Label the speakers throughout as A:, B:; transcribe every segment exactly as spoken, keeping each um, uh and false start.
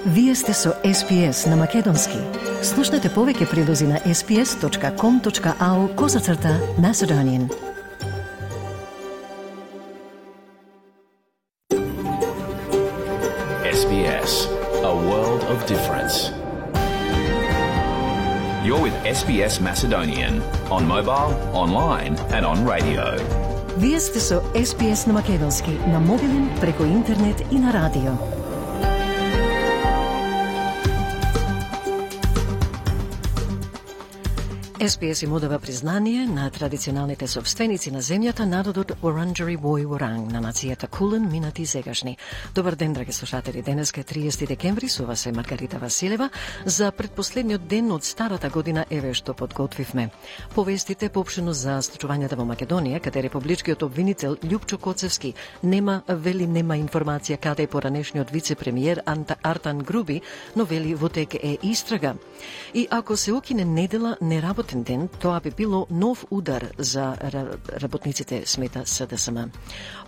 A: Вие сте со Ес Би Ес на Македонски. Слушнете повеќе прилози на ес би ес точка ком точка ау козацрта Macedonian.
B: Ес Би Ес, a world of difference. You're with Ес Би Ес Macedonian on mobile, online and on radio.
A: Вие сте со Ес Би Ес на Македонски, на мобилен, преку интернет и на радио. Ес Би Ес им одава признание на традиционалните собственици на земјата, народот Уранџари Вој Уранг, на нацијата Кулен, минати и сегашни. Добар ден, драги слушатели. Денеска е триесети декември, со вас е Маргарита Василева. За предпоследниот ден од старата година еве што подготвивме. Повестите поопштено за случувањата во Македонија, каде републичкиот обвинител Љупчо Коцевски нема, вели нема информација каде е поранешниот вице-премиер Артан Груби, но вели во тек е истрага. И ако се укине недела, не работи ден, тоа би било нов удар за работниците, смета Се Де Ес Ем.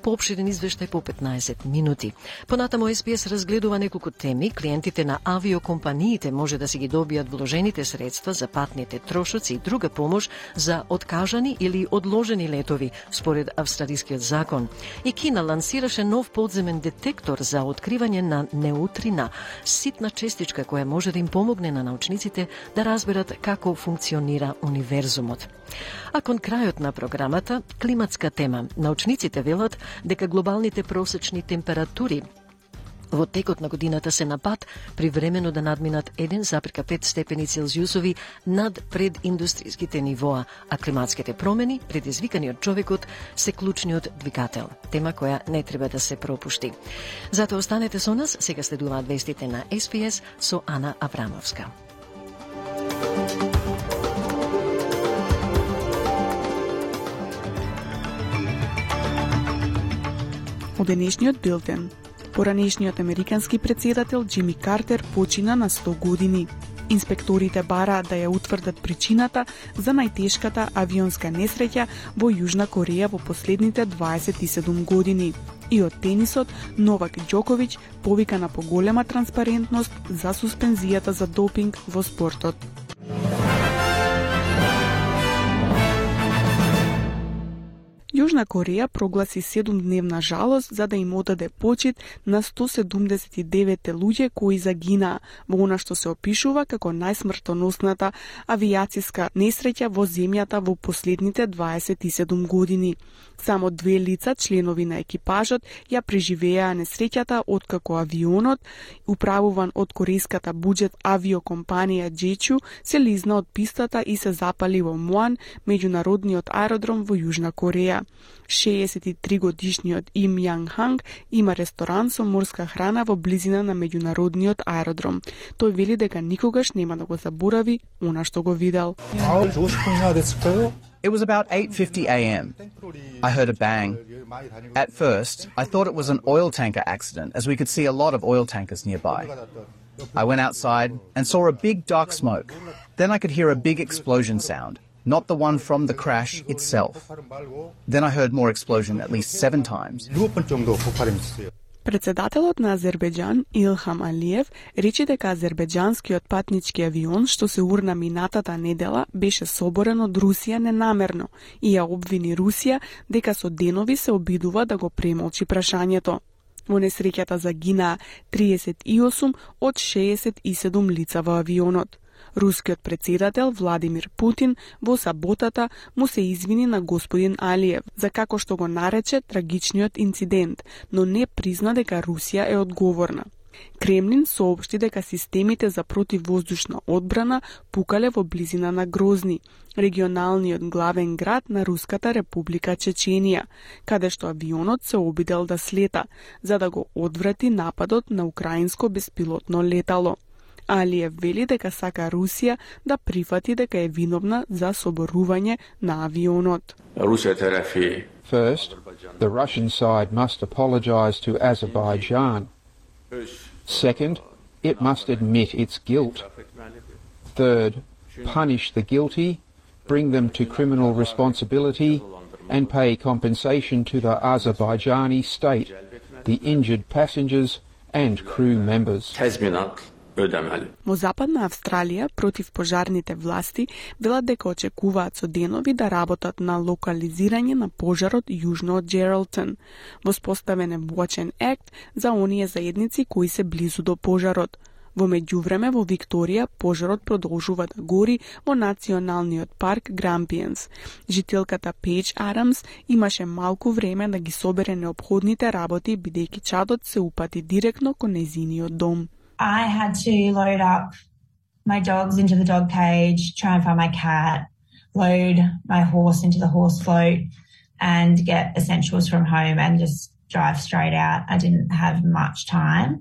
A: Поопширен извештај по петнаесет минути. Понатамо Ес Би Ес разгледува неколку теми. Клиентите на авиокомпаниите може да си ги добијат вложените средства за патните трошоци и друга помош за откажани или одложени летови, според австралискиот закон. И Кина лансираше нов подземен детектор за откривање на неутрина, ситна честичка која може да им помогне на научниците да разберат како функционира универзумот. А кон крајот на програмата, климатска тема. Научниците велат дека глобалните просечни температури во текот на годината се на пат привремено да надминат еден запирка пет степени Целзиусови над прединдустријските нивоа, а климатските промени, предизвикани од човекот, се клучниот двигател. Тема која не треба да се пропушти. Затоа останете со нас, сега следуваат вестите на Ес Би Ес со Ана Аврамовска.
C: Од денешниот билтен. Поранешниот американски претседател Џими Картер почина на сто години. Инспекторите бараат да ја утврдат причината за најтешката авионска несреќа во Јужна Кореја во последните дваесет и седум години. И од тенисот, Новак Џоковиќ повика на поголема транспарентност за суспензијата за допинг во спортот. Јужна Кореја прогласи седумдневна жалост за да им одаде почит на сто седумдесет и девет луѓе кои загинаа во она што се опишува како најсмртоносната авијациска несреќа во земјата во последните дваесет и седум години. Само две лица, членови на екипажот, ја преживеа несреќата откако авионот, управуван од корејската буџет авиокомпанија Джечу, се лизна од пистата и се запали во Муан, меѓународниот аеродром во Јужна Кореја. шеесет и три годишниот Им Јанг Ханг има ресторан со морска храна во близина на меѓународниот аеродром. Тој вели дека никогаш нема да го заборави она што го видел.
D: It was about eight fifty a m I heard a bang. At first, I thought it was an oil tanker accident, as we could see a lot of oil tankers nearby. I went outside and saw a big dark smoke. Then I could hear a big explosion sound, not the one from the crash itself. Then I heard more explosion at least seven times.
C: Председателот на Азербејџан Илхам Алиев рече дека азербејџанскиот патнички авион што се урна минатата недела беше соборен од Русија ненамерно и ја обвини Русија дека со денови се обидува да го премолчи прашањето. Во несреќата загинаа триесет и осум од шеесет и седум лица во авионот. Рускиот председател Владимир Путин во саботата му се извини на господин Алиев за како што го нарече трагичниот инцидент, но не призна дека Русија е одговорна. Кремлин соопшти дека системите за противвоздушна одбрана пукале во близина на Грозни, регионалниот главен град на Руската република Чеченија, каде што авионот се обидел да слета, за да го одврати нападот на украинско беспилотно летало. Алиев вели дека сака Русија да прифати дека е виновна за соборување на авионот.
E: First, the Russian side must apologize to Azerbaijan. Second, it must admit its guilt. Third, punish the guilty, bring them to criminal responsibility, and pay compensation to the Azerbaijani state, the injured passengers, and crew members.
C: Во Западна Австралија, противпожарните власти велат дека очекуваат со денови да работат на локализирање на пожарот јужно од Джералтон. Воспоставен е Watch and Act за оние заедници кои се близу до пожарот. Во меѓувреме во Викторија пожарот продолжува да гори во националниот парк Grampians. Жителката Пејдж Адамс имаше малку време да ги собере неопходните работи бидејќи чадот се упати директно кон нејзиниот дом.
F: I had to load up my dogs into the dog cage, try and find my cat, load my horse into the horse float and get essentials from home and just drive straight out. I didn't have much time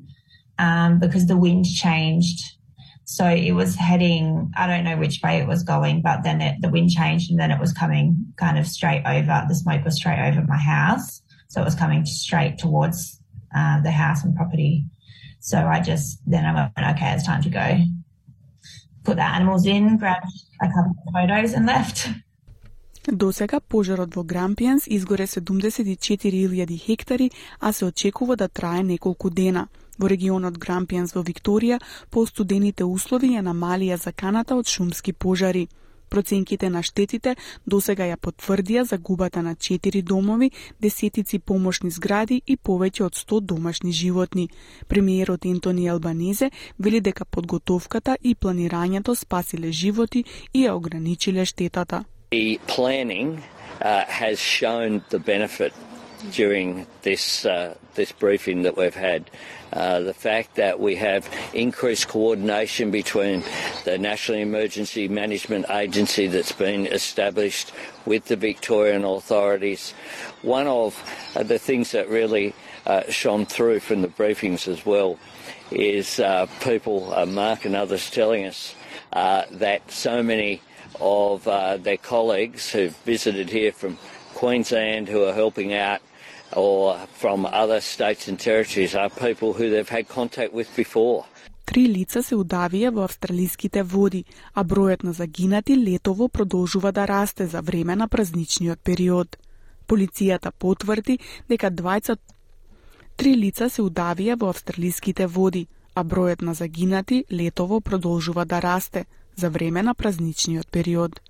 F: um, because the wind changed. So it was heading, I don't know which way it was going, but then it, the wind changed and then it was coming kind of straight over, the smoke was straight over my house. So it was coming straight towards uh, the house and property. So I just, then I went, okay, it's time to go. Put the animals in, grabbed a couple of photos and left.
C: До сега пожарот во Grampians изгоре седумдесет и четири илјади хектари, а се очекува да трае неколку дена. Во регионот Grampians во Викторија, постудените услови ја намалија заканата од шумски пожари. Проценките на штетите досега ја потврдија загубата на четири домови, десетици помошни згради и повеќе од сто домашни животни. Премиерот Ентони Албанезе вели дека подготовката и планирањето спасиле животи и ја ограничиле штетата.
G: The planning uh, has shown the benefit during this uh, this briefing that we've had. Uh, the fact that we have increased coordination between the National Emergency Management Agency that's been established with the Victorian authorities. One of uh, the things that really uh, shone through from the briefings as well is uh, people, uh, Mark and others, telling us uh, that so many of uh, their colleagues who've visited here from Queensland who are helping out or from other states and territories are people who they've had contact with before.
C: Три лица се удавија во австралиските води, а бројот на загинати летово продолжува да расте за време на празничниот период. Полицијата потврди дека двајца Три лица се удавија во австралиските води, а бројот на загинати летово продолжува да расте за време на празничниот период.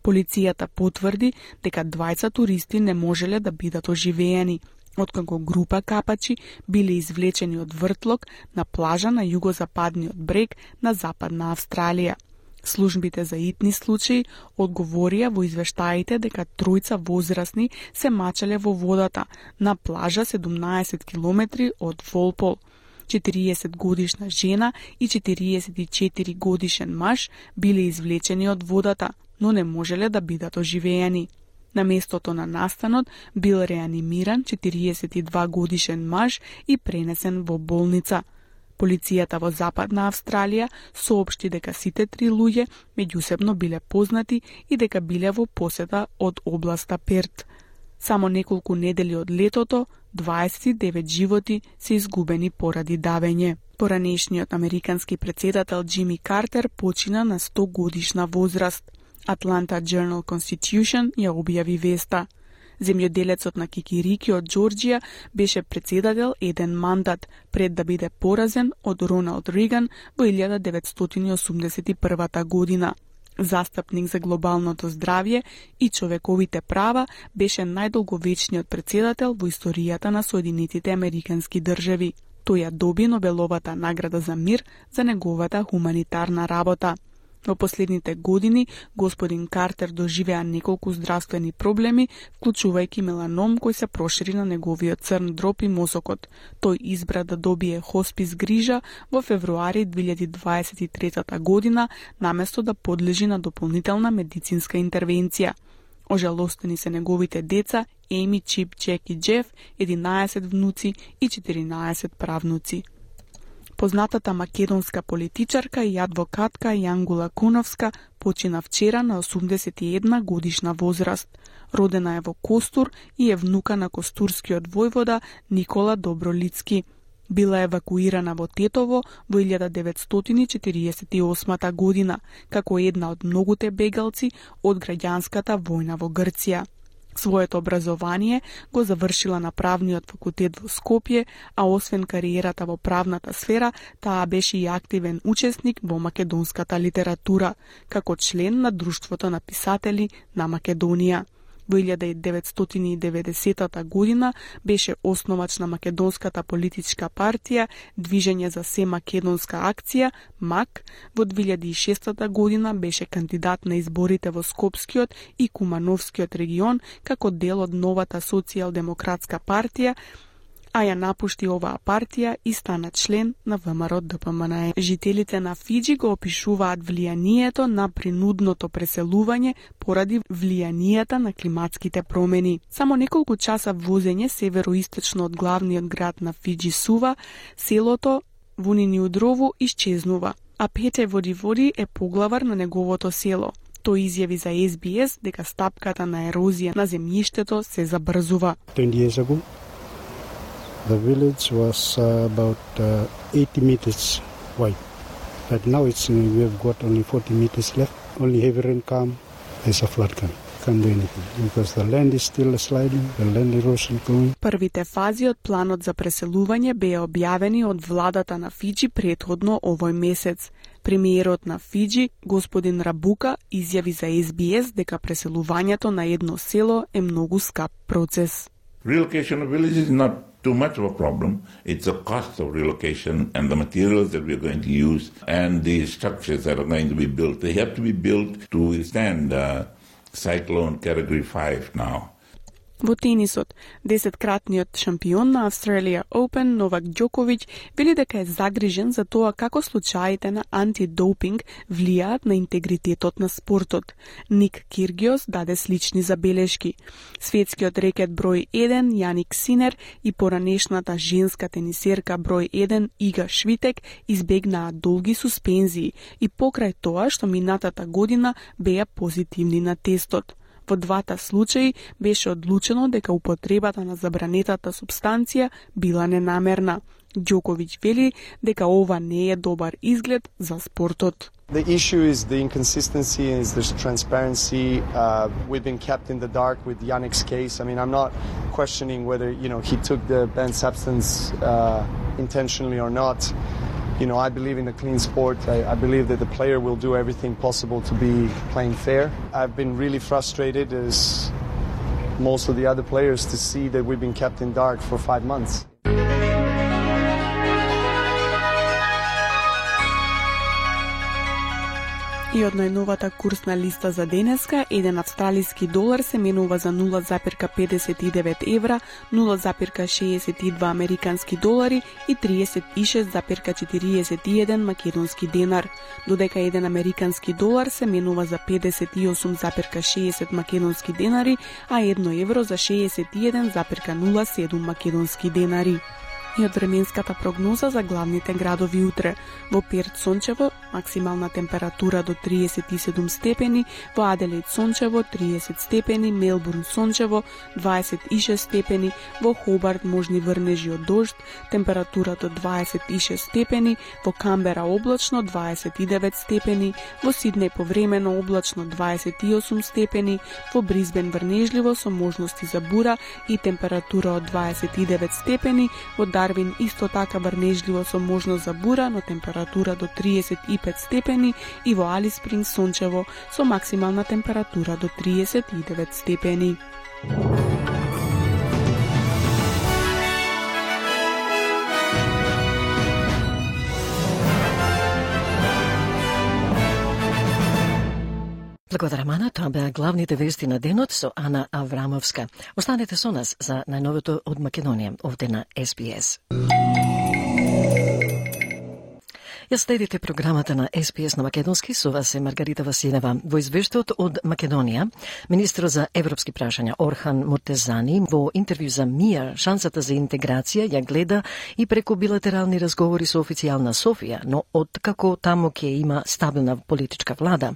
C: Полицијата потврди дека двајца туристи не можеле да бидат оживеени, откако група капачи биле извлечени од вртлок на плажа на југозападниот брег на Западна Австралија. Службите за итни случаи одговорија во извештаите дека тројца возрастни се мачеле во водата на плажа седумнаесет километри од Волпол. четириесет годишна жена и четириесет и четири годишен маж биле извлечени од водата, но не можеле да бидат оживеени. На местото на настанот бил реанимиран четириесет и два годишен маж и пренесен во болница. Полицијата во Западна Австралија соопшти дека сите три луѓе меѓусебно биле познати и дека биле во посета од областа Перт. Само неколку недели од летото, дваесет и девет животи се изгубени поради давење. Поранешниот американски председател Џими Картер почина на сто годишна возраст. Atlanta Journal-Constitution ја објави веста. Земјоделецот на Кикирики од Џорџија беше председател еден мандат пред да биде поразен од Роналд Реган во илјада деветстотини и осумдесет и прва година. Застапник за глобалното здравје и човековите права, беше најдолговечниот председател во историјата на Соединетите Американски држави. Тој ја доби Нобеловата награда за мир за неговата хуманитарна работа. Во последните години, господин Картер доживеа неколку здравствени проблеми, вклучувајќи меланом кој се прошири на неговиот црн дроб и мозокот. Тој избра да добие хоспис грижа во февруари две илјади дваесет и трета година, наместо да подлежи на дополнителна медицинска интервенција. Ожалостени се неговите деца, Еми, Чип, Джек и Джеф, единаесет внуци и четиринаесет правнуци. Познатата македонска политичарка и адвокатка Јангула Куновска почина вчера на осумдесет и една годишна возраст. Родена е во Костур и е внука на костурскиот војвода Никола Добролицки. Била евакуирана во Тетово во илјада деветстотини четириесет и осма година, како една од многуте бегалци од граѓанската војна во Грција. Своето образование го завршила на правниот факултет во Скопје, а освен кариерата во правната сфера, таа беше и активен учесник во македонската литература, како член на Друштвото на писатели на Македонија. Во илјада деветстотини и деветдесетата година беше основач на македонската политичка партија Движење за Семакедонска акција, МАК. Во две илјади и шестата година беше кандидат на изборите во Скопскиот и Кумановскиот регион како дел од новата социјалдемократска партија, а ја напушти оваа партија и стана член на ВМРО Д П М Н Е. Жителите на Фиџи го опишуваат влијанието на принудното преселување поради влијанието на климатските промени. Само неколку часа возење североисточно од главниот град на Фиџи Сува, селото Вуниниудрово исчезнува, а Пете Водиводи е поглавар на неговото село. Тој изјави за С Б С дека стапката на ерозија на земјиштето се забрзува.
H: twenty years ago, the village was uh, about uh, eighty meters wide. But now it's uh, we have got only forty meters left. Only heavy rain come, there's a flood coming. Can't do anything because the land is still sliding, the land erosion going.
C: Првите фази од планот за преселување беа објавени од владата на Фиџи претходно овој месец. Премиерот на Фиџи, господин Рабука, изјави за С Б С дека преселувањето на едно село е многу скап процес.
I: Relocation of villages is not too much of a problem. It's the cost of relocation and the materials that we're going to use and the structures that are going to be built. They have to be built to withstand uh, cyclone category five now.
C: Во тенисот, десеткратниот шампион на Australia Open Новак Ѓоковиќ вели дека е загрижен за тоа како случаите на антидопинг влијаат на интегритетот на спортот. Ник Киргиос даде слични забелешки. Светскиот рекет број еден Јаник Синер и поранешната женска тенисерка број еден Ига Швитек избегнаа долги суспензии и покрај тоа што минатата година беа позитивни на тестот. Во двата случаи беше одлучено дека употребата на забранетата субстанција била ненамерна. Ѓоковиќ вели дека ова не е добар изглед за спортот.
J: The issue is the inconsistency, is the transparency. Uh, we've been kept in the dark with Yannick's case. I mean, I'm not questioning whether, you know, he took the banned substance uh, intentionally or not. You know, I believe in a clean sport. I, I believe that the player will do everything possible to be playing fair. I've been really frustrated, as most of the other players, to see that we've been kept in dark for five months.
C: И од најновата курсна листа за денеска, еден австралиски долар се менува за нула запирка педесет и девет евра, нула запирка шеесет и два американски долари и триесет и шест запирка четириесет и еден македонски денар, додека еден американски долар се менува за педесет и осум запирка шеесет македонски денари, а едно евро за шеесет и еден запирка нула седум македонски денари. И од временската прогноза за главните градови утре. Во Перт сончево, максимална температура до триесет и седум степени, во Аделаид сончево триесет степени, Мелбурн сончево дваесет и шест степени, во Хобарт можни врнежи од дожд, температура до дваесет и шест степени, во Камбера облачно дваесет и девет степени, во Сиднеј повремено облачно дваесет и осум степени, во Бризбен врнежливо со можности за бура и температура од дваесет и девет степени, во Дарвин исто така врнежливо со можност за бура, но температура до триесет и пет степени, и во Алис Спрингс сончево со максимална температура до триесет и девет степени.
A: Благодарам, Ана. Тоа беа главните вести на денот со Ана Аврамовска. Останете со нас за најновото од Македонија, овде на С Б С. Ја следите програмата на С Б С на македонски, со вас е Маргарита Василева. Во извештајот од Македонија, министрот за европски прашања Орхан Муртезани во интервју за МИА шансата за интеграција ја гледа и преку билатерални разговори со официјална Софија, но откако таму ќе има стабилна политичка влада.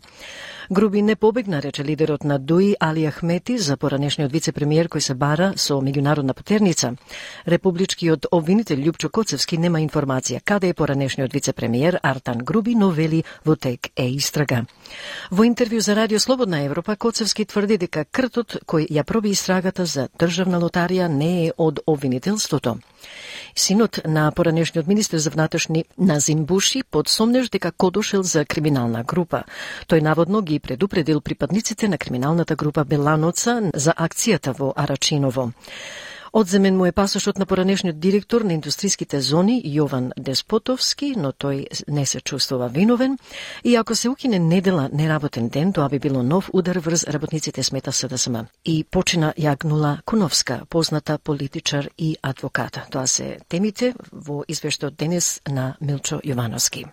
A: Груби не побегна, рече лидерот на ДУИ Али Ахмети за поранешниот вице-премиер кој се бара со меѓународна потерница. Републичкиот обвинител Љупчо Коцевски нема информација каде е поранешниот вице-премиер премиер Артан Груби, но вели во тек е истрага. Во интервју за Радио Слободна Европа, Коцевски тврди дека кртот кој ја проби истрагата за државна лотарија не е од обвинителството. Синот на поранешниот министер за внатрешни Назим Буши подсомнеш дека кодошел за криминална група. Тој наводно ги предупредил припадниците на криминалната група Беланоца за акцијата во Арачиново. Одземен му е пасошот на поранешниот директор на индустријските зони Јован Деспотовски, но тој не се чувствува виновен. И ако се укине недела неработен ден, тоа би било нов удар врз работниците, смета СДСМ. И почина Јагнула Куновска, позната политичар и адвокат. Тоа се темите во извештајот денес на Милчо Јовановски.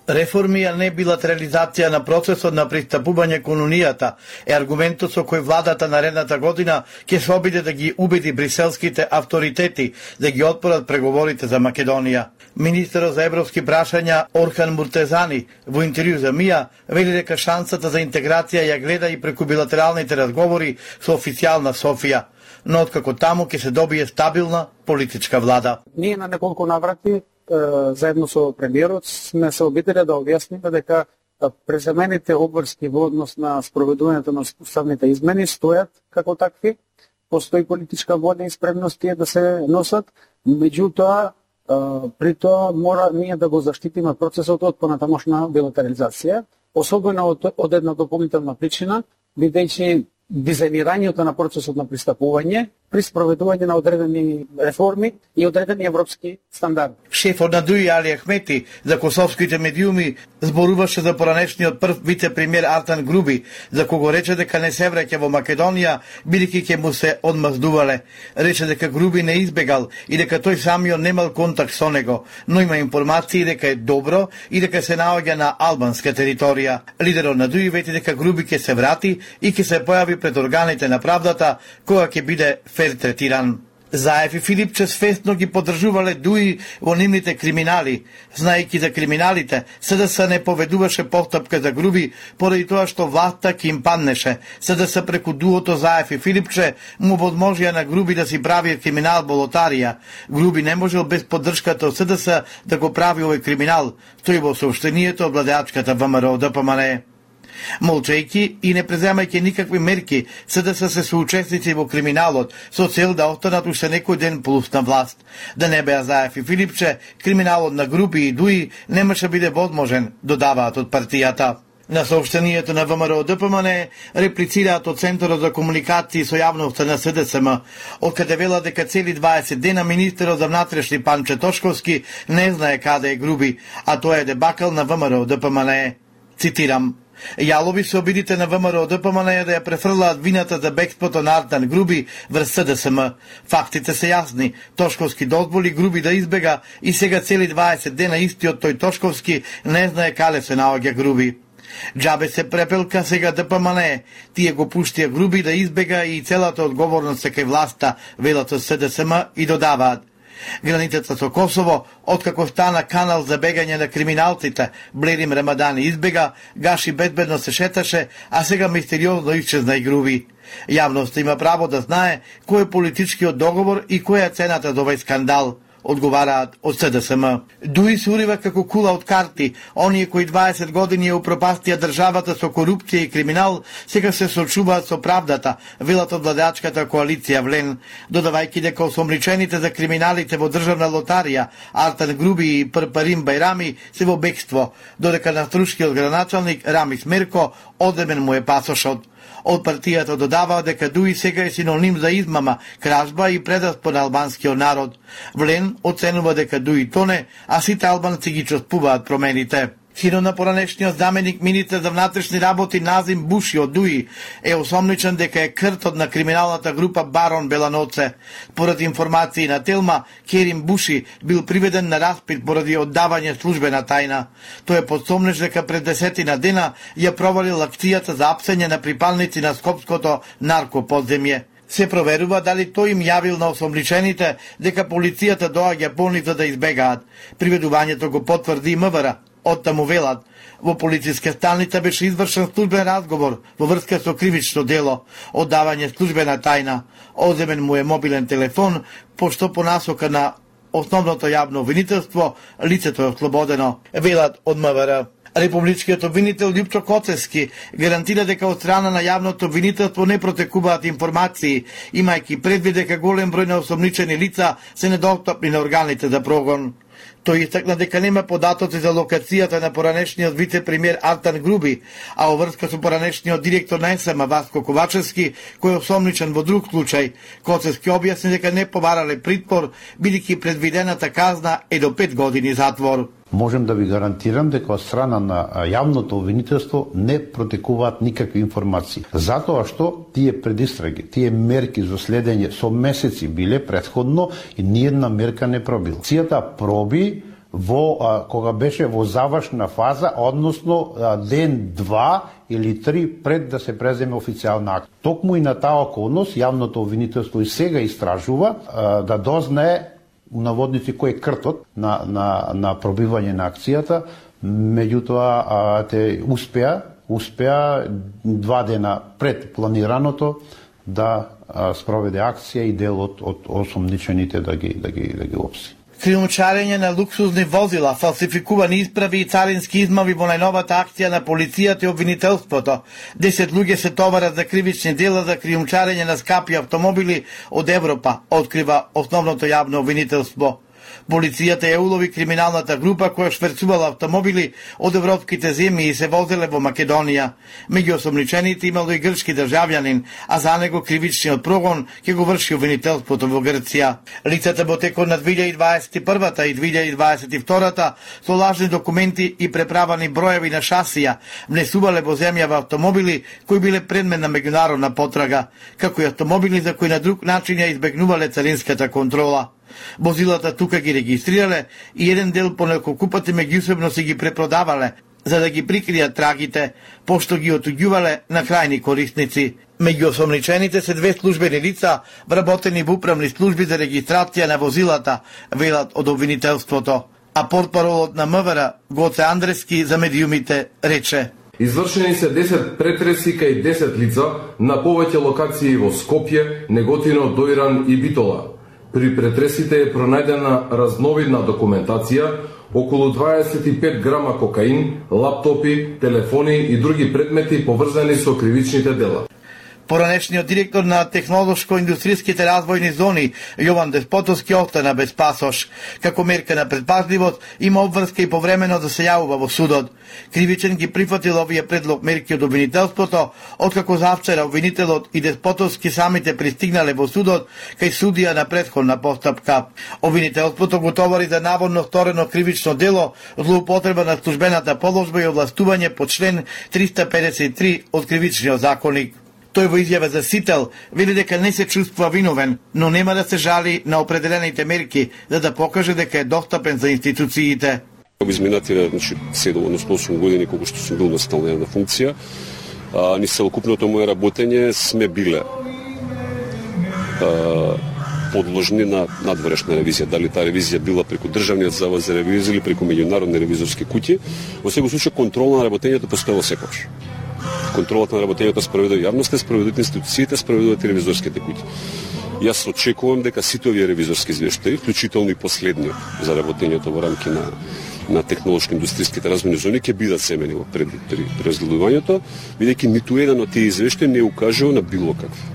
K: Реформи, а не билатерализација на процесот на пристапување кон Унијата е аргументот со кој владата наредната година ќе се обиде да ги убеди бриселските авторитети да ги отпорат преговорите за Македонија. Министерот за европски прашања Орхан Муртезани во интервју за МИА вели дека шансата за интеграција ја гледа и преку билатералните разговори со официјална Софија, но откако таму ќе се добие стабилна политичка влада.
L: Ние на неколку наврати заедно со премиерот сме се обиделе да објасниме дека преземените обврски во однос на спроведувањето на уставните измени стојат како такви, постои политичка воља и спремност тие да се носат, меѓутоа при тоа мора ние да го заштитиме процесот од понатамошна билатерализација, особено од, од една дополнителна причина, бидејќи дизајнирањето на процесот на пристапување при спроведување на одредени реформи и одредени европски стандарди.
K: Шефот на ДУИ Али Ахмети за косовските медиуми зборуваше за поранешниот прв вице-премиер Артан Груби, за кого рече дека не се враќа во Македонија, бидејќи ќе му се одмаздувале. Рече дека Груби не избегал и дека тој самиот немал контакт со него, но има информации дека е добро и дека се наоѓа на албанска територија. Лидерот на ДУИ вети дека Груби ќе се врати и ќе се појави пред органите на правдата кога ќе биде фер третиран. Заев и Филипче свесно ги поддржувале ДУИ во нивните криминали. Знаејќи за криминалите, СДС не поведуваше постапка за Груби поради тоа што власта ќе им паднеше. СДС преку дуото Заев и Филипче му возможија на Груби да си прави криминал во лотарија. Груби не можел без поддршката од СДС да го прави овој криминал, стои во сообщението од владеачката ВМРО Д П М Н. Молчејќи и не преземајќи никакви мерки, СДС се соучесници во криминалот со цел да останат уште некој ден плюс на власт. Да не беа Заев и Филипче, криминалот на Груби и ДУИ немаше биде возможен, додаваат од партијата. На сообщението на ВМРО Д П М Н реплицираат од Центарот за комуникации со јавноста на СДСМ, откаде велат дека цели дваесет дена министерот за внатрешни Панче Тошковски не знае каде е Груби, а тоа е дебакал на ВМРО Д П М Н. Цитирам: Јалови се обидите на ВМРО Д П М Н да ја префрлаат вината за бегството на Артан Груби врз СДСМ. Фактите се јасни. Тошковски дозволи Груби да избега и сега цели дваесет дена истиот тој Тошковски не знае каде се наоѓа Груби. Джабе се препелка сега Д П М Н. Тие го пуштија Груби да избега и целата одговорност се кај власта, велат од СДСМ и додаваат: границата со Косово, откако стана канал за бегање на криминалците, Блерим Рамадани избега, Гаши безбедно се шеташе, а сега мистериозно исчезна и Груби. Јавноста има право да знае кој е политичкиот договор и која е цената за овој скандал, одговараат од СДСМ. ДУИ се урива како кула од карти. Оние кои дваесет години ја упропастија државата со корупција и криминал, сега се сочуваат со правдата, велат од владеачката коалиција Влен, додавајќи дека осомничените за криминалите во државна лотарија Артан Груби и Парпарим Бајрами се во бегство, додека на струшкиот граначалник Рамис Мерко одемен му е пасошот. Од партијата додава дека ДУИ сега е синоним за измама, кражба и предаспо на албанскиот народ. Влен оценува дека ДУИ тоне, а сите албанци ги чувствуваат промените. Синот на поранешниот заменик министер за внатрешни работи Назим Буши од ДУИ е осомничен дека е кртот на криминалната група Барон Беланоце. Поради информации на Телма, Керим Буши бил приведен на распит поради оддавање службена тајна. Тој е подсомнеш дека пред десетина дена ја провалил акцијата за апсење на припалници на скопското наркоподземје. Се проверува дали тој им јавил на осомничените дека полицијата доаѓа по нив за да избегаат. Приведувањето го потврди МВР. Оттаму велат: Во полициска станица беше извршен службен разговор во врска со кривично дело, оддавање службена тајна. Одземен му е мобилен телефон, пошто по насока на основното јавно обвинителство лицето е ослободено, велат од МВР. Републичкиот обвинител Љупчо Коцевски гарантира дека од страна на јавното обвинителство не протекуваат информации, имајќи предвид дека голем број на осомничени лица се недостапни на органите за прогон. Тој истакна дека нема податоци за локацијата на поранешниот вице-премиер Артан Груби, а во врска со поранешниот директор на ЕСМ Васко Ковачевски, кој е осомничен во друг случај, Коцевски објасни дека не побарале притвор, бидејќи предвидената казна е до пет години затвор.
M: Можем да ви гарантирам дека од страна на јавното обвинителство не протекуваат никакви информации. Затоа што тие предистраги, тие мерки за следење со месеци биле претходно и ниедна мерка не пробила. Цијата проби во а, кога беше во завршна фаза, односно а, ден два или три пред да се преземе официјална акт. Токму и на таа околност јавното обвинителство и сега истражува а, да дознае у наводници кој е кртот на, на, на пробивање на акцијата, меѓутоа а, те успеа, успеа два дена пред планираното да а, спроведе акција и дел од, од осомничените да ги, да ги, да ги опси.
K: Криумчарење на луксузни возила, фалсификувани исправи и царински измави во најновата акција на полицијата и обвинителството. Десет луѓе се товарат за кривични дела за криумчарење на скапи автомобили од Европа, открива основното јавно обвинителство. Полицијата ја улови криминалната група која шверцувала автомобили од европските земји и се возеле во Македонија. Меѓу осомничените имало и грчки државјанин, а за него кривичниот прогон ќе го врши обвинителството во Грција. Лицата во текот на две илјади дваесет и прва и две илјади дваесет и втора со лажни документи и преправани броеви на шасија внесувале во земја автомобили кои биле предмет на меѓународна потрага, како и автомобили за кои на друг начин ја избегнувале царинската контрола. Возилата тука ги регистрирале и еден дел по неколку пати меѓусебно си ги препродавале, за да ги прикријат трагите, пошто ги отуѓувале на крајни корисници. Меѓу осомничените се две службени лица, вработени во управни служби за регистрација на возилата, велат од обвинителството. А портпаролот на МВР Гоце Андрески за медиумите рече:
N: Извршени се десет претреси кај десет лица на повеќе локации во Скопје, Неготино, Дојран и Битола. При претресите е пронајдена разновидна документација, околу дваесет и пет грама кокаин, лаптопи, телефони и други предмети поврзани со кривичните дела.
K: Поранешниот директор на технолошко-индустријските развојни зони Јован Деспотовски остана без пасош. Како мерка на предпазливост има обврска и повремено да се јавува во судот. Кривичен ги прифатил овие предлог мерки од обвинителството, откако завчера обвинителот и Деспотовски самите пристигнале во судот кај судија на претходна постапка. Обвинителството го товари за наводно сторено кривично дело, злоупотреба на службената положба и овластување по член триста педесет и три од кривичниот законник. Тој во изјава за Сител вели дека не се чувствува виновен, но нема да се жали на определените мерки за да покаже дека е достапен за институциите.
O: Во изминативе, значи, седум, односно осум години колку што сум бил на стална функција, а, ни целокупното моје работење сме биле а, подложни на надворешна ревизија. Дали таа ревизија била преку Државниот завод за ревизија или преку меѓународни ревизорски куќи, во секој случај контрола на работењето постоела секогаш. Контролата на работењето спроведува јавноста, спроведуваат институциите, спроведуваат и ревизорските куќи. Јас очекувам дека сите овие ревизорски извештаи, вклучително и последниот за работењето во рамки на на технолошко-индустријските развојни зони ќе бидат земени во пред при, при разгледувањето, бидејќи ниту еден од тие извештаи не укажува на било какви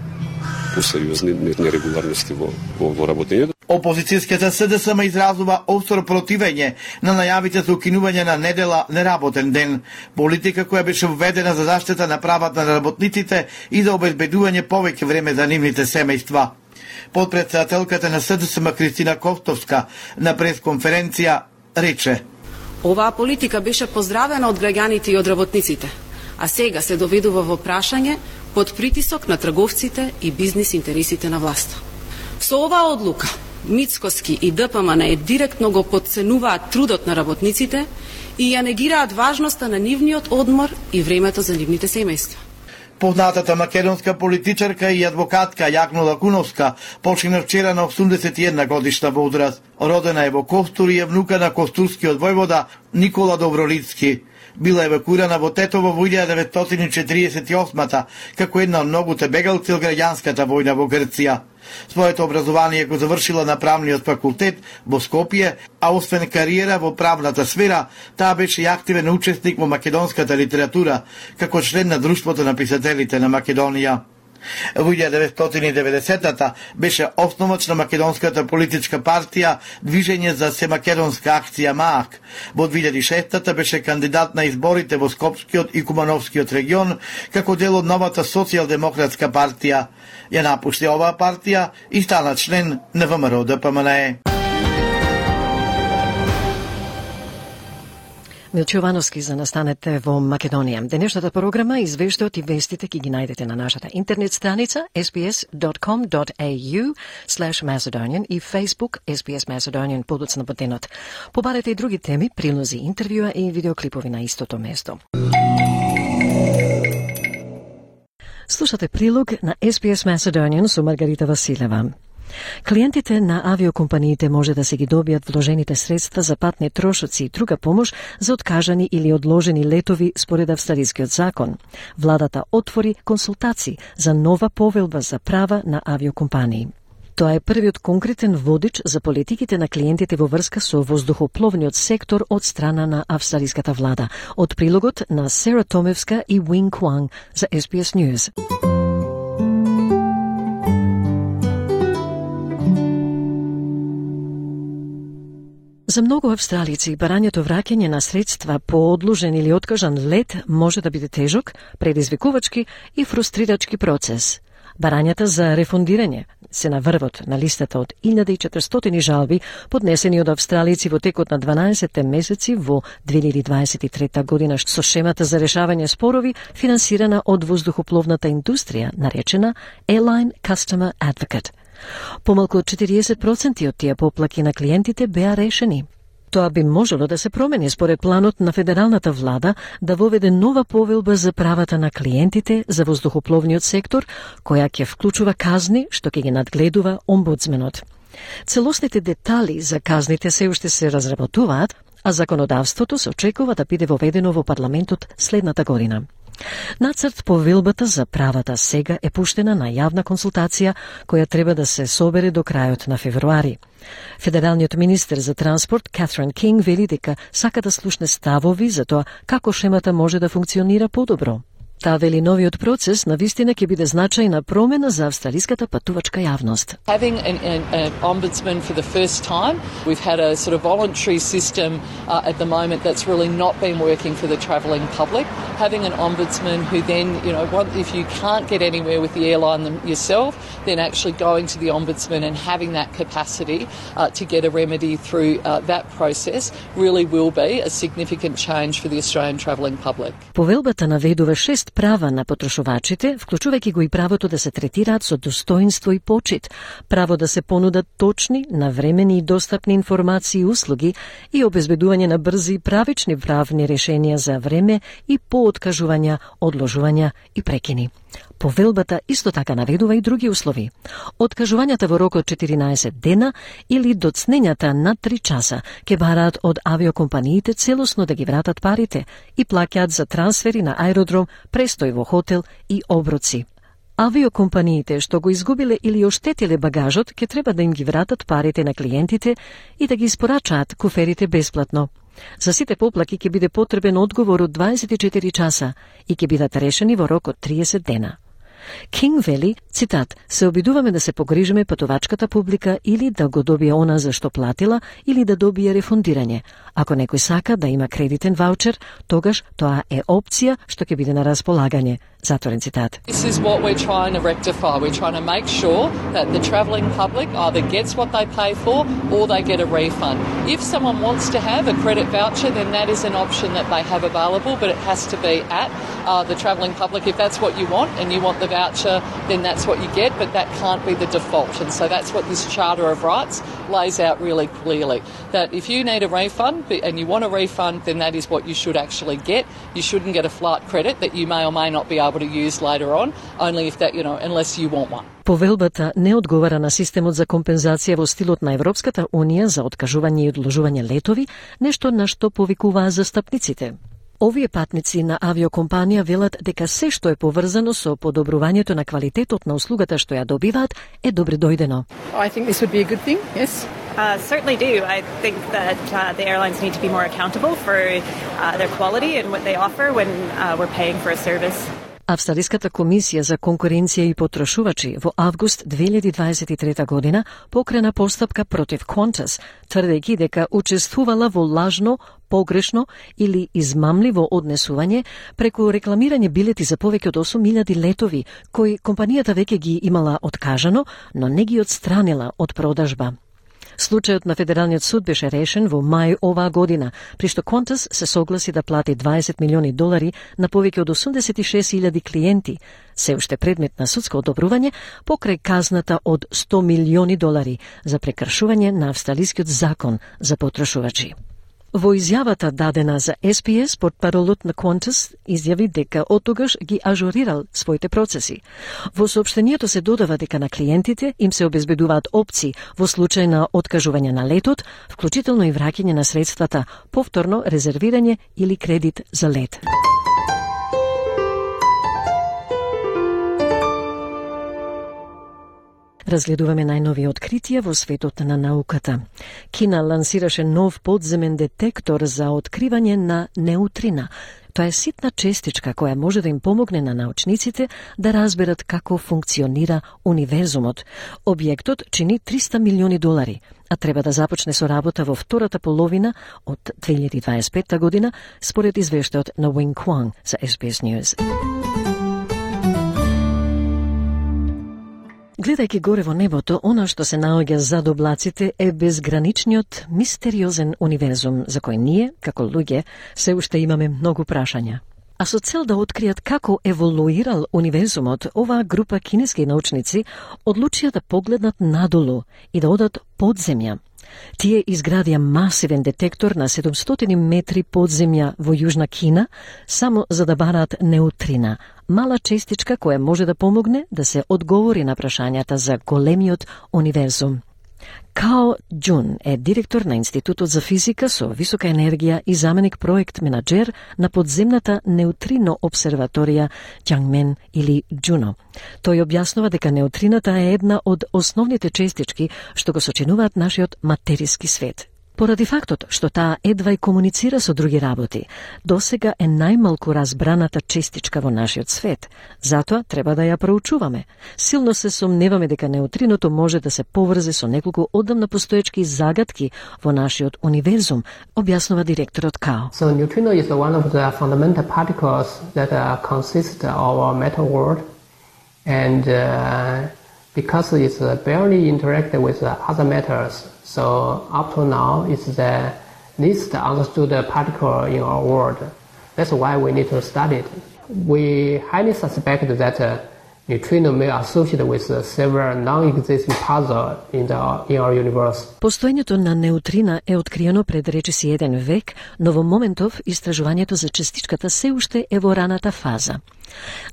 O: посериозни нерегуларности во, во, во работењето.
K: Опозицијската СДСМ изразува остро противење на најавите за укинување на недела неработен ден, политика која беше введена за заштита на правата на работниците и за обезбедување повеќе време за нивните семејства. Подпредседателката на СДСМ Кристина Костовска на пресконференција рече:
P: Оваа политика беше поздравена од граѓаните и од работниците, а сега се доведува во прашање под притисок на трговците и бизнис интересите на власта. Со оваа одлука, Мицкоски и ДПМН директно го потценуваат трудот на работниците и ја негираат важноста на нивниот одмор и времето за нивните семејства.
K: Познатата македонска политичарка и адвокатка Јагнула Куновска почина вчера на осумдесет и една годишна возраст. Родена е во Костур и е внука на костурскиот војвода Никола Добролицки. била евакуирана во Тетово во илјада деветстотини четиридесет и осма како една од многуте бегалци од граѓанската војна во Грција. Своето образование го завршила на правниот факултет во Скопје, а освен кариера во правната сфера, таа беше и активен учесник во македонската литература, како член на Друштвото на писателите на Македонија. Во илјада деветстотини и деветдесета беше основач на македонската политичка партија Движење за семакедонска акција МААК. Во две илјади и шеста беше кандидат на изборите во Скопскиот и Кумановскиот регион како дел од новата социјалдемократска партија. Ја напушти оваа партија и стана член на ВМРО Д П М Н Е.
A: Милчо Јовановски за настанете во Македонија. Денешната програма, извештајот и вестите ќе ги најдете на нашата интернет страница ес би ес dot com dot a u slash Macedonian и Facebook ес би ес Macedonian подоцна ботенот. Побарете и други теми, прилози, интервјуа и видеоклипови на истото место. Слушате прилог на ес би ес Macedonian со Маргарита Василева. Клиентите на авиокомпаниите може да се ги добијат вложените средства за патни трошоци и друга помош за откажани или одложени летови според австралискиот закон. Владата отвори консултации за нова повелба за права на авиокомпании. Тоа е првиот конкретен водич за политиките на клиентите во врска со воздухопловниот сектор од страна на австралиската влада. Од прилогот на Сера Томевска и Wing Kwang за ес би ес News. За многу австралици, барањето враќање на средства по одложен или откажан лет може да биде тежок, предизвикувачки и фрустрирачки процес. Барањата за рефундирање се на врвот на листата од илјада и четиристотини жалби поднесени од австралици во текот на дванаесет месеци во две илјади дваесет и трета година со шемата за решавање спорови финансирана од воздухопловната индустрија, наречена Airline Customer Advocate. Помалку од четириесет проценти од тие поплаки на клиентите беа решени. Тоа би можело да се промени според планот на федералната влада да воведе нова повелба за правата на клиентите за воздухопловниот сектор, која ќе вклучува казни што ќе ги надгледува омбудсменот. Целосните детали за казните се уште се разработуваат, а законодавството се очекува да биде воведено во парламентот следната година. Нацрт повелбата за правата сега е пуштена на јавна консултација која треба да се собере до крајот на февруари. Федералниот министер за транспорт Катрин Кинг вели дека сака да слушне ставови за тоа како шемата може да функционира подобро. Таа вели новиот процес на вистина ќе биде значајна промена за австралиската патувачка јавност.
Q: Having an, an, an ombudsman for the first time, we've had a sort of voluntary system uh, at the moment that's really not been working for the travelling public. Having an ombudsman who then, you know, if you can't get anywhere with the airline yourself, then actually going to the ombudsman and having that capacity uh, to get a remedy through uh, that process really will be a significant change for the Australian travelling public.
A: Повелбата наведува шест права на потрошувачите, вклучувајќи го и правото да се третираат со достоинство и почит, право да се понудат точни, навремени и достапни информации и услуги и обезбедување на брзи и правични правни решенија за време и по откажувања, одложувања и прекини. Повелбата исто така наведува и други услови. Откажувањата во рок од четиринаесет дена или доцнењата на три часа ќе бараат од авиокомпаниите целосно да ги вратат парите и плаќаат за трансфери на аеродром, престој во хотел и оброци. Авиокомпаниите што го изгубиле или оштетиле багажот ќе треба да им ги вратат парите на клиентите и да ги испорачаат куферите бесплатно. За сите поплаки ќе биде потребен одговор од дваесет и четири часа и ќе бидат решени во рок од триесет дена. Кинг вели, цитат, се обидуваме да се погрижиме патувачката публика или да го добие она за што платила или да добие рефундирање. Ако некој сака да има кредитен ваучер, тогаш тоа е опција што ќе биде на располагање. Затворен цитат.
Q: This is what we're trying to rectify. We're trying to make sure that the travelling public either gets what they pay for or they get a refund. If someone wants to have a credit voucher, then that is an option that they have available, but it has to be at uh, the travelling public. If that's what you want and you want the voucher, then that's what you get, but that can't be the default. And so that's what this Charter of Rights lays out really clearly. That if you need a refund and you want a refund, then that is what you should actually get. You shouldn't get a flight credit that you may or may not be able to use later on, only if that, you know, unless you want one.
A: Повелбата не одговара на системот за компензација во стилот на Европската Унија за откажување и одложување летови, нешто на што повикуваа застапниците. Овие патници на авиокомпанија велат дека се што е поврзано со подобрувањето на квалитетот на услугата што ја добиваат е добре дојдено.
R: I think this would be a good thing, yes.
S: Uh, certainly do. I think that uh, the airlines need to be more accountable for uh, their quality and what they offer when uh, we're paying for a service.
A: Австралиската комисија за конкуренција и потрошувачи во август две илјади дваесет и трета година покрена постапка против Qantas, тврдејќи дека учествувала во лажно, погрешно или измамливо однесување преку рекламирање билети за повеќе од осум илјади летови, кои компанијата веќе ги имала откажано, но не ги отстранила од продажба. Случајот на Федералниот суд беше решен во мај оваа година, при што Qantas се согласи да плати дваесет милиони долари на повеќе од осумдесет и шест илјади клиенти, се уште предмет на судско одобрување покрај казната од сто милиони долари за прекршување на австралискиот закон за потрошувачи. Во изјавата дадена за Ес Би Ес, портпаролот на Qantas изјави дека оттогаш ги ажурирал своите процеси. Во соопштението се додава дека на клиентите им се обезбедуваат опции во случај на откажување на летот, вклучително и враќање на средствата, повторно резервирање или кредит за лет. Разгледуваме најнови откритија во светот на науката. Кина лансираше нов подземен детектор за откривање на неутрина. Тоа е ситна честичка која може да им помогне на научниците да разберат како функционира универзумот. Објектот чини триста милиони долари, а треба да започне со работа во втората половина од две илјади дваесет и петта година, според извештајот на Wing Kwang за Ес Би Ес News. Гледајќи горе во небото, она што се наоѓа зад облаците е безграничниот, мистериозен универзум за кој ние, како луѓе, се уште имаме многу прашања. А со цел да откријат како еволуирал универзумот, оваа група кинески научници одлучија да погледнат надолу и да одат под земја. Тие изградија масивен детектор на седумстотини метри под земја во Јужна Кина, само за да бараат неутрина, мала честичка која може да помогне да се одговори на прашањата за големиот универзум. Као Џун е директор на Институтот за физика со висока енергија и заменик проект менаџер на подземната неутрино обсерваторија Џангмен или Џуно. Тој објаснува дека неутрината е една од основните честички што го сочинуваат нашиот материски свет. Поради фактот што таа едва и комуницира со други работи, досега е најмалку разбраната честичка во нашиот свет. Затоа треба да ја проучуваме. Силно се сомневаме дека неутриното може да се поврзе со неколку одамна постоечки загадки во нашиот универзум, објаснува директорот Као.
T: So neutrino is one of the fundamental particles that uh, consist of our matter world, and uh, because it's uh, barely interacted with uh, other matters. So up to now, it's the least understood particle in our world. That's why we need to study it. We highly suspect that uh, neutrino may associate with uh, several non-existing puzzles in, the, in our universe.
A: Постоењето на неутрина е откриено пред речиси еден век, но во моментов истражувањето за частичката се уште е во раната фаза.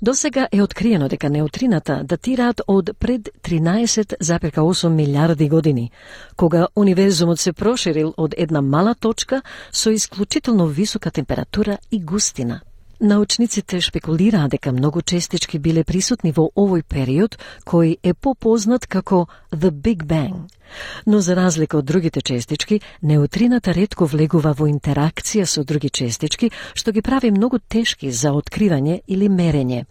A: Досега е откриено дека неутрината датираат од пред тринаесет зарез осум милиарди години, кога универзумот се проширил од една мала точка со исклучително висока температура и густина. Научниците шпекулираат дека многу честички биле присутни во овој период, кој е попознат како The Big Bang. Но за разлика од другите честички, неутрината ретко влегува во интеракција со други честички, што ги прави многу тешки за откривање или мерење.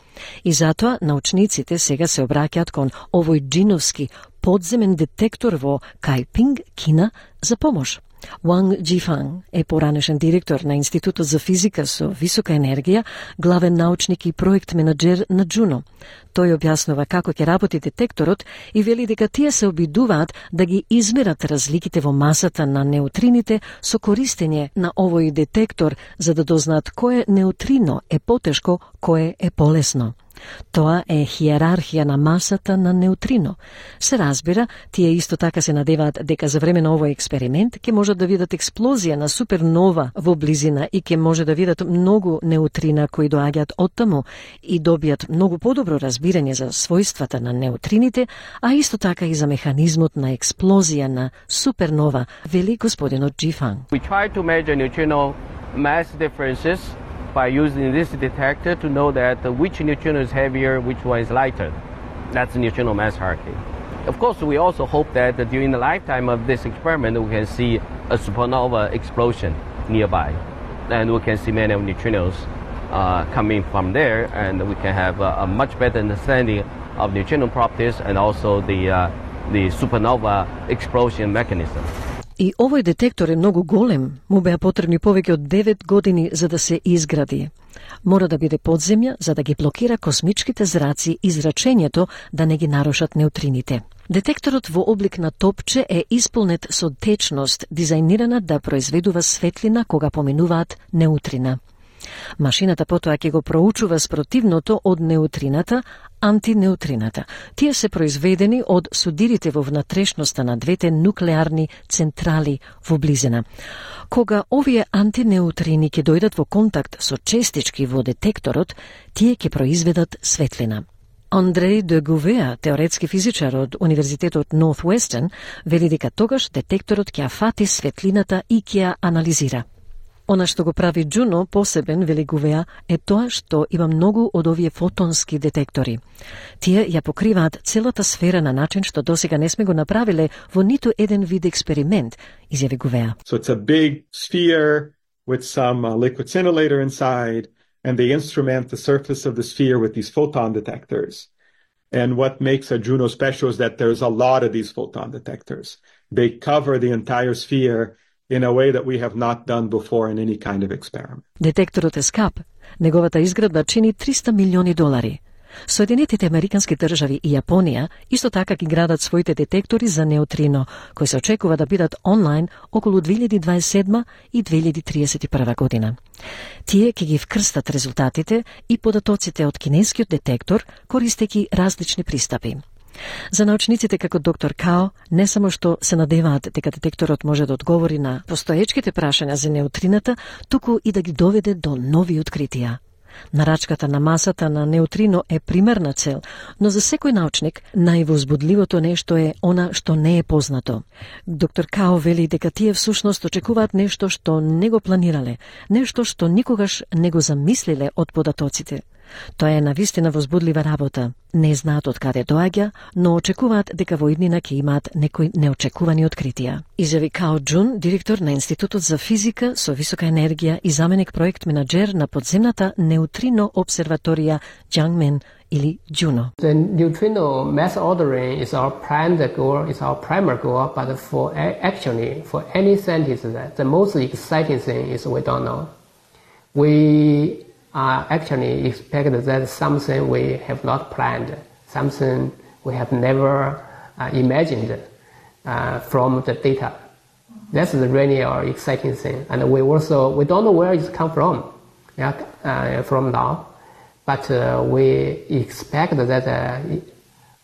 A: И затоа научниците сега се обраќаат кон овој џиновски подземен детектор во Кајпинг, Кина, за помош. Wang Jifang е поранешен директор на Институтот за физика со висока енергија, главен научник и проект менаџер на Џуно. Тој објаснува како ќе работи детекторот и вели дека тие се обидуваат да ги измерат разликите во масата на неутрините со користење на овој детектор за да дознаат кое неутрино е потешко, кое е полесно. Тоа е хиерархија на масата на неутрино. Се разбира, тие исто така се надеваат дека за време на овој експеримент ќе можат да видат експлозија на супернова во близина и ќе може да видат многу неутрина кои доаѓаат оттаму и добијат многу подобро разбирање за својствата на неутрините, а исто така и за механизмот на експлозија на супернова, вели господинот Џифан.
U: We try to measure neutrino mass differences by using this detector to know that uh, which neutrino is heavier, which one is lighter. That's the neutrino mass hierarchy. Of course, we also hope that uh, during the lifetime of this experiment, we can see a supernova explosion nearby. And we can see many of neutrinos uh, coming from there, and we can have uh, a much better understanding of neutrino properties and also the, uh, the supernova explosion mechanism.
A: И овој детектор е многу голем, му беа потребни повеќе од девет години за да се изгради. Мора да биде под земја за да ги блокира космичките зраци и зрачењето да не ги нарушат неутрините. Детекторот во облик на топче е исполнет со течност, дизајнирана да произведува светлина кога поминуваат неутрина. Машината потоа ќе го проучува спротивното од неутрината, антинеутрината. Тие се произведени од судирите во внатрешноста на двете нуклеарни централи во близина. Кога овие антинеутрини ќе дојдат во контакт со честички во детекторот, тие ќе произведат светлина. Андрей де Гувеа, теоретски физичар од Универзитетот Northwestern, вели дека тогаш детекторот ќе ја фати светлината и ќе ја анализира. Она што го прави Джуно посебен, вели Гувеа, е тоа што има многу од овие фотонски детектори. Тие ја покриваат целата сфера на начин што досега не сме го направиле во ниту еден вид експеримент, изјави Гувеа.
V: So it's a big sphere with some uh, liquid scintillator inside, and they instrument the surface of the sphere with these photon detectors. And what makes a Juno special is that there's a lot of these photon detectors. They cover the entire sphere in a way that we have not done before in any kind of experiment.
A: Детекторот е скап. Неговата изградба чини триста милиони долари. Соединетите американски држави и Јапонија исто така ги градат своите детектори за неутрино, кои се очекува да бидат онлайн околу две илјади дваесет и седма и две илјади триесет и прва година. Тие ќе ги вкрстат резултатите и податоците од кинескиот детектор, користејќи различни пристапи. За научниците како доктор Као, не само што се надеваат дека детекторот може да одговори на постоечките прашања за неутрината, туку и да ги доведе до нови откритија. Нарачката на масата на неутрино е примерна цел, но за секој научник највозбудливото нешто е она што не е познато. Доктор Као вели дека тие всушност очекуваат нешто што не го планирале, нешто што никогаш не го замислиле од податоците. Тоа е навистина возбудлива работа. Не знаат од каде доаѓа, но очекуваат дека во иднина ќе имаат некои неочекувани откритија. Изјави Као Джун, директор на Институтот за физика со висока енергија и заменик проект менаџер на подземната неутрино обсерваторија Jiangmen или Juno.
T: The neutrino mass ordering is our planned goal, is our primary goal, but for actually for any scientist, the most exciting thing is we don't know. We Uh, actually expect that something we have not planned, something we have never uh, imagined uh, from the data. That's really our exciting thing. And we also, we don't know where it's come from, yeah, uh, from now, but uh, we expect that uh,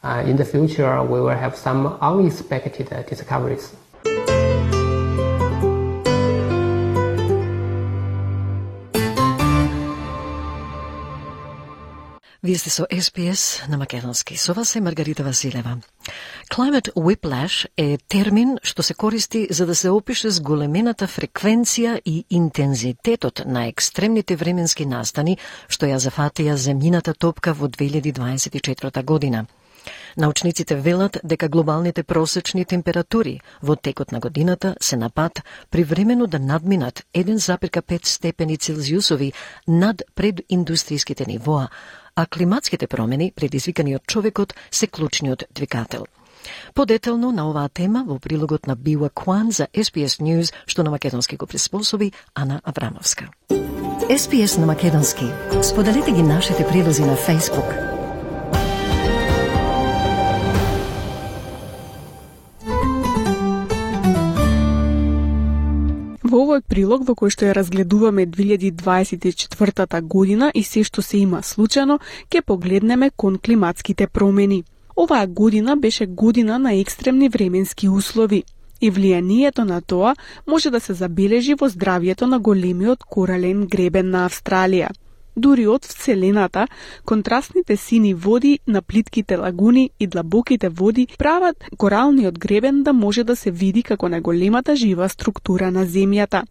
T: uh, in the future we will have some unexpected uh, discoveries.
A: Вие сте со Ес Би Ес на македонски. Со вас е Маргарита Василева. Climate whiplash е термин што се користи за да се опише зголемената фреквенција и интензитетот на екстремните временски настани што ја зафатија земјината топка во две илјади дваесет и четврта година. Научниците велат дека глобалните просечни температури во текот на годината се на пат привремено да надминат еден запирка пет степени Целзиусови над прединдустријските нивоа, а климатските промени, предизвикани од човекот, се клучниот двигател. Подетелно на оваа тема во прилогот на Била Куан за Ес Би Ес News, што на македонски го приспособи Ана Аврамовска. Ес Би Ес на македонски. Споделете ги нашите прилози на Facebook.
C: Во овој прилог во кој што ја разгледуваме две илјади дваесет и четвртата година и се што се има случано, ќе погледнеме кон климатските промени. Оваа година беше година на екстремни временски услови и влијанието на тоа може да се забележи во здравјето на големиот корален гребен на Австралија. Дури од Вселената, контрастните сини води на плитките лагуни и длабоките води прават коралниот гребен да може да се види како најголемата жива структура на Земјата.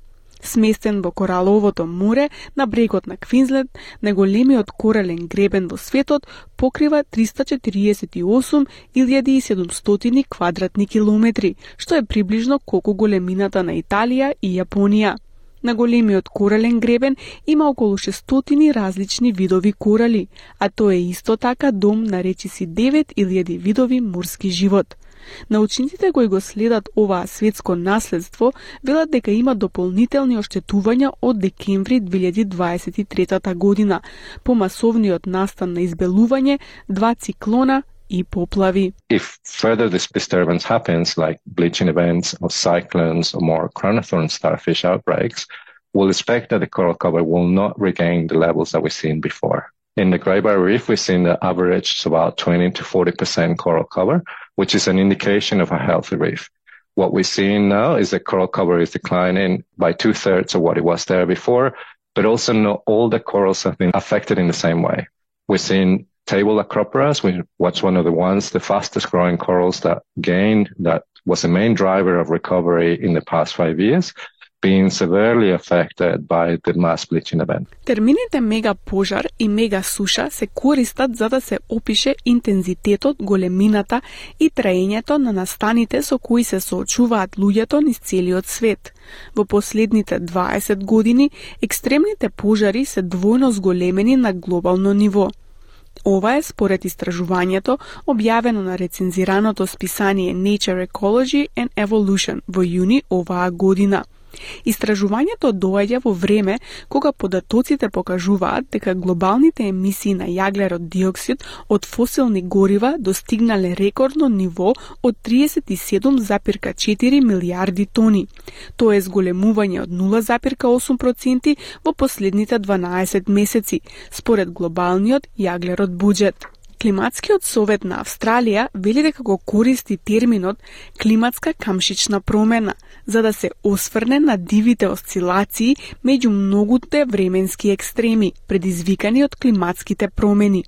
C: Сместен во кораловото море на брегот на Квинсленд, најголемиот корален гребен во светот покрива триста четириесет и осум илјади и седумстотини квадратни километри, што е приближно колку големината на Италија и Јапонија. На големиот корален гребен има околу шестстотини различни видови корали, а тоа е исто така дом на речиси девет илјади видови морски живот. Научниците кои го следат оваа светско наследство велат дека има дополнителни оштетувања од декември две илјади дваесет и трета година, по масовниот настан на избелување, два циклона и поплави.
B: If further this disturbance happens, like bleaching events or cyclones or more chronothorn starfish outbreaks, we'll expect that the coral cover will not regain the levels that we've seen before. In the Great Barrier Reef, we've seen the average about twenty to forty percent coral cover, which is an indication of a healthy reef. What we're seeing now is that coral cover is declining by two-thirds of what it was there before, but also not all the corals have been affected in the same way. We're seeing table acroporas, which was one of the ones, the fastest growing corals that gained, that was the main driver of recovery in the past five years, being severely affected by the mass bleaching event.
C: Термините мега пожар и мега суша се користат за да се опише интензитетот, големината и траењето на настаните со кои се соочуваат луѓето низ целиот свет. Во последните дваесет години, екстремните пожари се двојно зголемени на глобално ниво. Ова е според истражувањето објавено на рецензираното списание Nature Ecology and Evolution во јуни оваа година. Истражувањето доаѓа во време кога податоците покажуваат дека глобалните емисии на јаглерод диоксид од фосилни горива достигнале рекордно ниво од триесет и седум запирка четири милијарди тони. Тоа е зголемување од нула запирка осум проценти во последните дванаесет месеци, според глобалниот јаглерод буџет. Климатскиот совет на Австралија вели дека го користи терминот климатска камшична промена, за да се осврне на дивите осцилации меѓу многуте временски екстреми, предизвикани од климатските промени.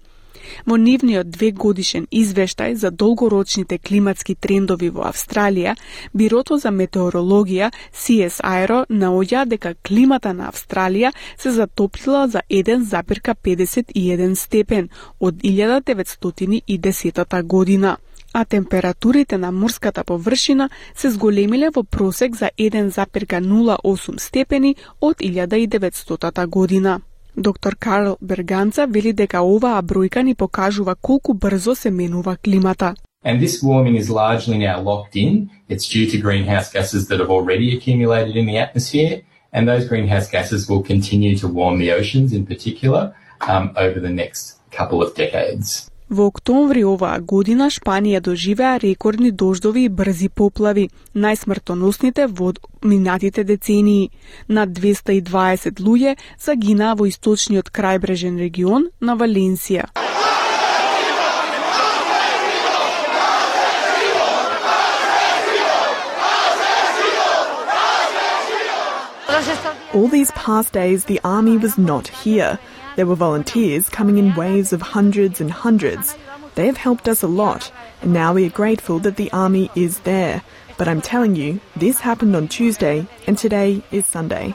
C: Во нивниот двегодишен извештај за долгорочните климатски трендови во Австралија, Бирото за метеорологија Си Ес Ај Ар О наоѓа дека климата на Австралија се затоплила за еден запирка педесет и еден степен од илјада деветстотини и десета година, а температурите на морската површина се зголемиле во просек за еден запирка нула осум степени од илјада и деветстотата година. Доктор Карл Берганца вели дека оваа бројка ни покажува колку брзо се менува климата.
D: And this warming is largely now locked in. It's due to greenhouse gases that have already accumulated in the atmosphere, and those greenhouse gases will continue to warm the oceans in particular um, over the next couple of decades.
C: Во октомври оваа година Шпанија доживеа рекордни дождови и брзи поплави, најсмртоносните во минатите децении. Над двеста и дваесет луѓе загинаа во источниот крајбрежен регион на Валенсија.
W: All these past days, the army was not here. There were volunteers coming in waves of hundreds and hundreds. They have helped us a lot, and now we are grateful that the army is there. But I'm telling you, this happened on Tuesday, and today is Sunday.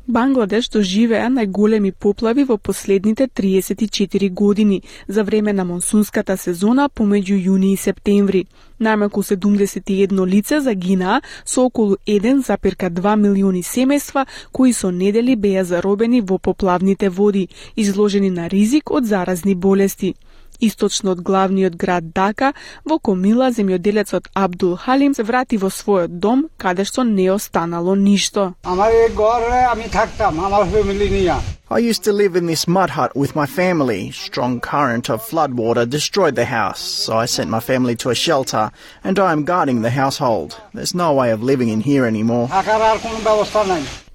C: Бангладеш доживеа најголеми поплави во последните триесет и четири години за време на монсунската сезона помеѓу јуни и септември. Најмалку седумдесет и едно лице загинаа со околу еден запирка два милиони семејства кои со недели беа заробени во поплавните води, изложени на ризик од заразни болести. Источно од главниот град Дака, во Комила, земјоделецот Абдул Халим се врати во својот дом, каде што не останало ништо.
X: I used to live in this mud hut with my family. Strong current of floodwater destroyed the house, so I sent my family to a shelter, and I am guarding the household. There's no way of living in here anymore.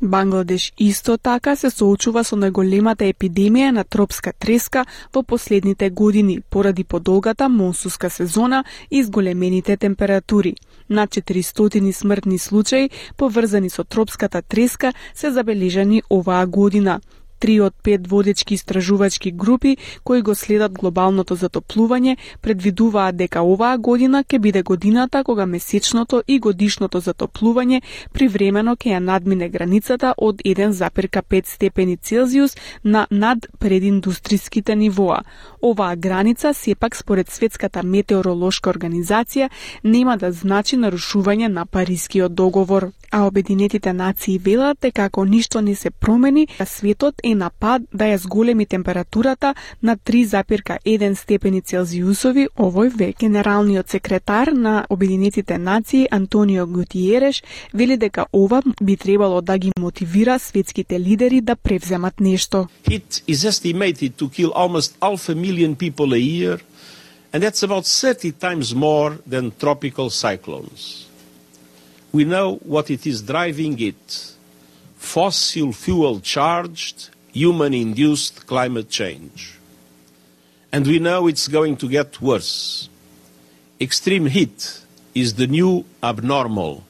C: Бангладеш исто така се соочува со најголемата епидемија на тропска треска во последните години поради подолгата монсунска сезона и зголемените температури. Над четиристотини смртни случаи поврзани со тропската треска се забележани оваа година. Три од пет водечки истражувачки групи кои го следат глобалното затоплување предвидуваат дека оваа година ќе биде годината кога месечното и годишното затоплување привремено ќе ја надмине границата од еден запирка пет степени Целзиус на над прединдустриските нивоа. Оваа граница сепак според Светската метеоролошка организација нема да значи нарушување на Парискиот договор. А Обединетите нации велат дека ако ништо не се промени, светот е на пат да ја зголеми температурата на три запирка еден степени Целзиусови. Овој век генералниот секретар на Обединетите нации Антонио Гутиереш вели дека ова би требало да ги мотивира светските лидери да превземат нешто.
E: It is estimated to kill almost half a million people a year, and that's about thirty times more than tropical cyclones. We know what it is driving it: fossil fuel charged, human-induced climate change. And we know it's going to get worse. Extreme heat is the new abnormal.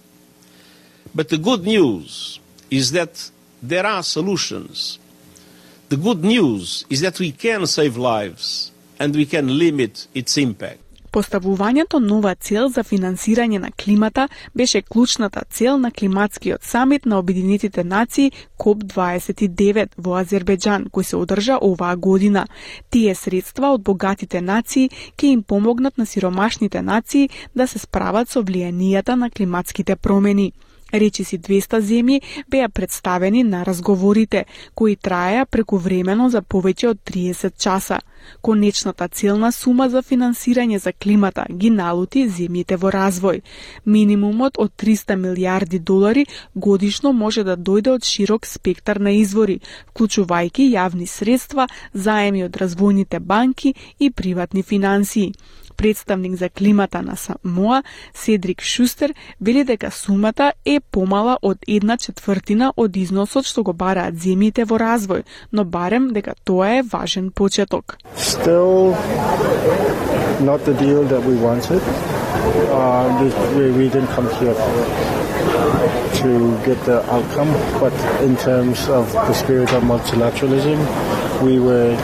E: But the good news is that there are solutions. The good news is that we can save lives and we can limit its impact.
C: Поставувањето нова цел за финансирање на климата беше клучната цел на климатскиот самит на Обединетите нации коп дваесет и девет во Азербејџан, кој се одржа оваа година. Тие средства од богатите нации ќе им помогнат на сиромашните нации да се справат со влијанијата на климатските промени. Речиси двеста земји беа представени на разговорите, кои траеа прекувремено за повеќе од триесет часа. Конечната целна сума за финансирање за климата ги налути земјите во развој. Минимумот од триста милиарди долари годишно може да дојде од широк спектар на извори, вклучувајќи јавни средства, заеми од развојните банки и приватни финансии. Представник за климата на Самоа, Седрик Шустер, вели дека сумата е помала од една четвртина од износот што го бараат земјите во развој, но барем дека тоа е важен почеток.
J: Still not the deal that we wanted. Uh, we, we didn't come here to get the outcome, but in terms of the spirit of multilateralism, we were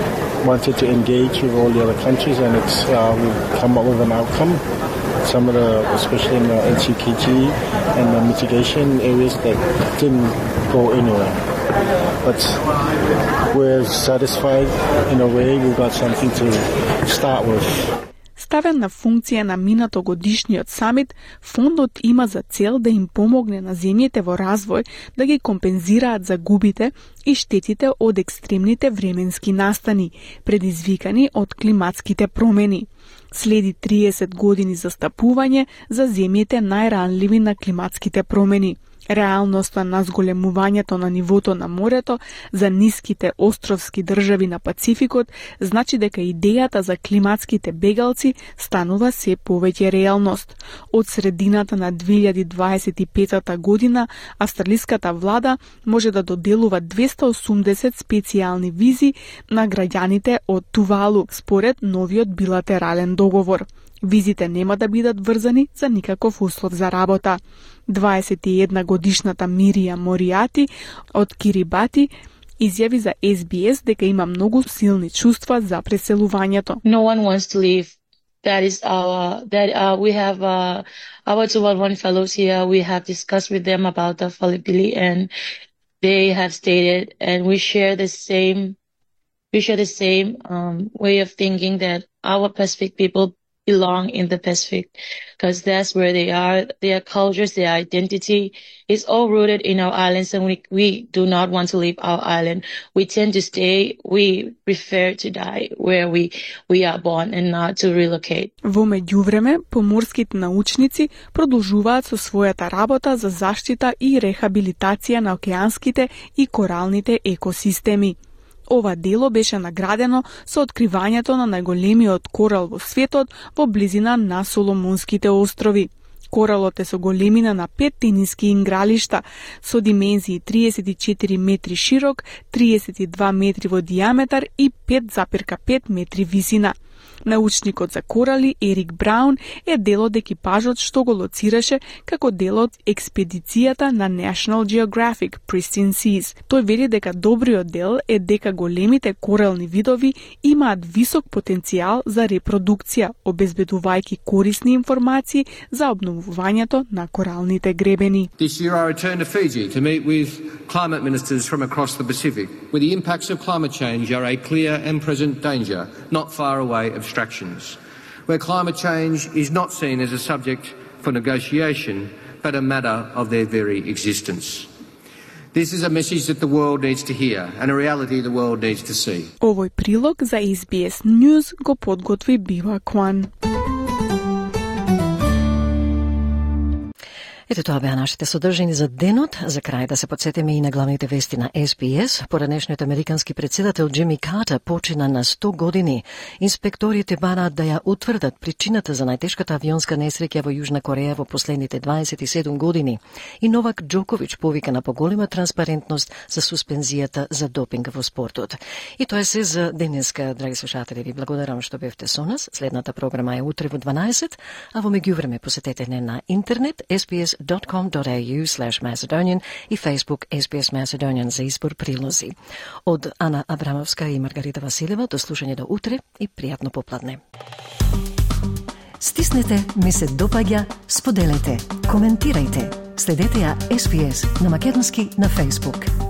J: wanted to engage with all the other countries, and it's uh, we've come up with an outcome. Some of the, especially in the N C K G and the mitigation areas that didn't go anywhere. But we're satisfied in a way. We've got something to start with.
C: Ставен на функција на минато годишниот самит, фондот има за цел да им помогне на земјите во развој да ги компензираат загубите и штетите од екстремните временски настани, предизвикани од климатските промени. Следи триесет години застапување за земјите најранливи на климатските промени. Реалноста на зголемувањето на нивото на морето за ниските островски држави на Пацификот значи дека идејата за климатските бегалци станува се повеќе реалност. Од средината на две илјади дваесет и петата година австралиската влада може да доделува двеста и осумдесет специјални визи на граѓаните од Тувалу според новиот билатерален договор. Визите нема да бидат врзани за никаков услов за работа. дваесет и една годишната Мирија Моријати од Кирибати изјави за Ес Би Ес дека има многу силни чувства за преселувањето.
F: No one wants to leave. That is our that uh, we have uh, our two one one fellows here. We have discussed with them about the affordability, and they have stated, and we share the same we share the same um, way of thinking that our Pacific people belong in the Pacific, because that's where they are. Their cultures, their identity is all rooted in our islands, and we we do not want to leave our island. We tend to stay. We prefer to die where we we are born and not to relocate.
C: Во меѓувреме, поморските научници продолжуваат со својата работа за заштита и рехабилитација на океанските и коралните екосистеми. Ова дело беше наградено со откривањето на најголемиот корал во светот во близина на Соломонските острови. Коралот е со големина на пет тениски игралишта, со димензии триесет и четири метри широк, триесет и два метри во дијаметар и пет запирка пет метри висина. Научникот за корали Ерик Браун е дел од екипажот што го лоцираше како дел од експедицијата на National Geographic Pristine Seas. Тој вели дека добриот дел е дека големите корални видови имаат висок потенцијал за репродукција, обезбедувајќи корисни информации за обновувањето на коралните гребени.
G: This year I returned to Fiji to meet with climate ministers from across the Pacific, where the impacts of climate change are a clear and present danger, not far away abstractions. Where climate change is not seen as a subject for negotiation, but a matter of their very existence. This is a message that the world needs to hear and a reality the world needs to see.
C: Овој прилог за Ес Би Ес News го подготви Бива Кван.
A: Ето тоа беа нашите содржини за денот. За крај да се подсетиме и на главните вести на Ес Би Ес. Поранешниот американски председател Џими Картер почина на сто години. Инспекторите бараат да ја утврдат причината за најтешката авионска несреќа во Јужна Кореја во последните дваесет и седум години. И Новак Џоковиќ повика на поголема транспарентност за суспензијата за допинг во спортот. И тоа е се за денеска, драги слушатели. Ви благодарам што бевте со нас. Следната програма е утре во дванаесет, а во меѓувреме посетете не на интернет ес би ес dot com dot a u slash Macedonian и Facebook Ес Би Ес Macedonian за избор прилози. Од Ана Абрамовска и Маргарита Василева, до слушање до утре и пријатно попладне. Стиснете, ми се допаѓа, споделете, коментирајте. Следете ја Ес Би Ес на македонски на Facebook.